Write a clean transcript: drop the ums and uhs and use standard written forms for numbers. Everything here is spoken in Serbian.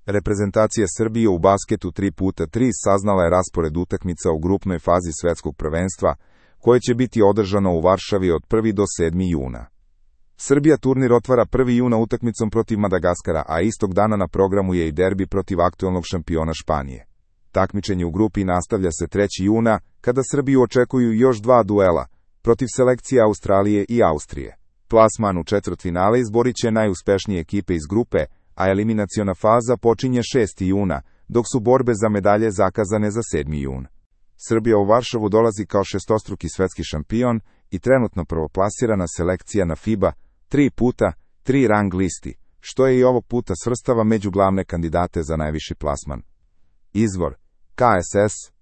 Reprezentacija Srbije u basketu 3x3 saznala je raspored utakmica u grupnoj fazi svetskog prvenstva, koje će biti održano u Varšavi od 1. do 7. juna. Srbija turnir otvara 1. juna utakmicom protiv Madagaskara, a istog dana na programu je i derbi protiv aktuelnog šampiona Španije. Takmičenje u grupi nastavlja se 3. juna, kada Srbiju očekuju još 2 duela, protiv selekcije Australije i Austrije. Plasman u četvrtfinale izborit će najuspešnije ekipe iz grupe, a eliminaciona faza počinje 6. juna, dok su borbe za medalje zakazane za 7. jun. Srbija u Varšavu dolazi kao šestostruki svetski šampion i trenutno prvoplasirana selekcija na FIBA 3x3 rang listi, što je i ovog puta svrstava među glavne kandidate za najviši plasman. Izvor: KSS,